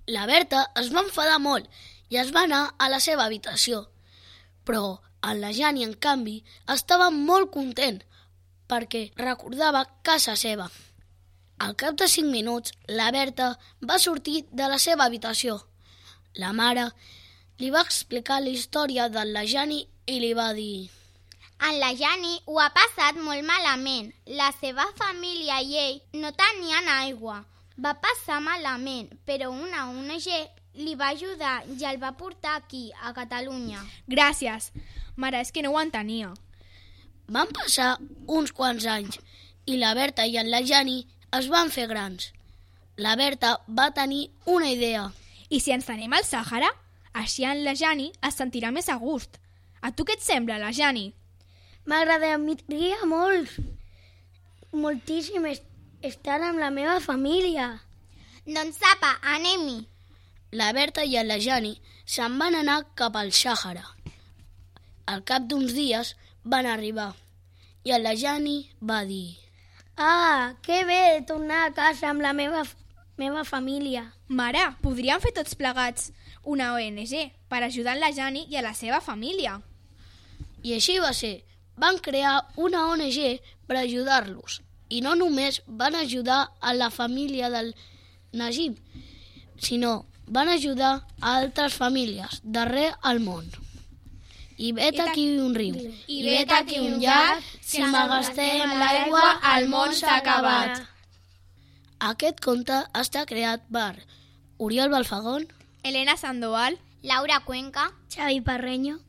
La Berta es va enfadar molt i es va anar a la seva habitació. Però en la Jani, en canvi, estava molt content perquè recordava casa seva. Al cap de 5 minuts, la Berta va sortir de la seva habitació. La mare li va explicar la història de la Jani i li va dir: En la Jani ho ha passat molt malament. La seva família i ell no tenien aigua. Va passar malament, però una ONG li va ajudar i el va portar aquí, a Catalunya. Gràcies. Mare, és que no ho entenia. Van passar uns quants anys i la Berta i en la Jani es van fer grans. La Berta va tenir una idea. I si ens anem al Sàhara? Així en la Jani es sentirà més a gust. A tu què et sembla, la Jani? M'agradaria moltíssim estar amb la meva família. Doncs apa, anem-hi. La Berta i en la Jani se'n van anar cap al Sàhara. Al cap d'uns dies van arribar i en la Jani va dir: Ah, que bé tornar a casa amb la meva família. Mare, podríem fer tots plegats una ONG per ajudar la Jani i a la seva família. I així va ser. Van crear una ONG per ajudar-los. I no només van ajudar a la família del Najib, sinó van ajudar a altres famílies d'arreu al món. I vet aquí un riu, I vet aquí un llac, si m'agastem l'aigua, el món s'ha acabat. Aquest conte està creat per Oriol Balfagón, Elena Sandoval, Laura Cuenca. Xavi Parreño.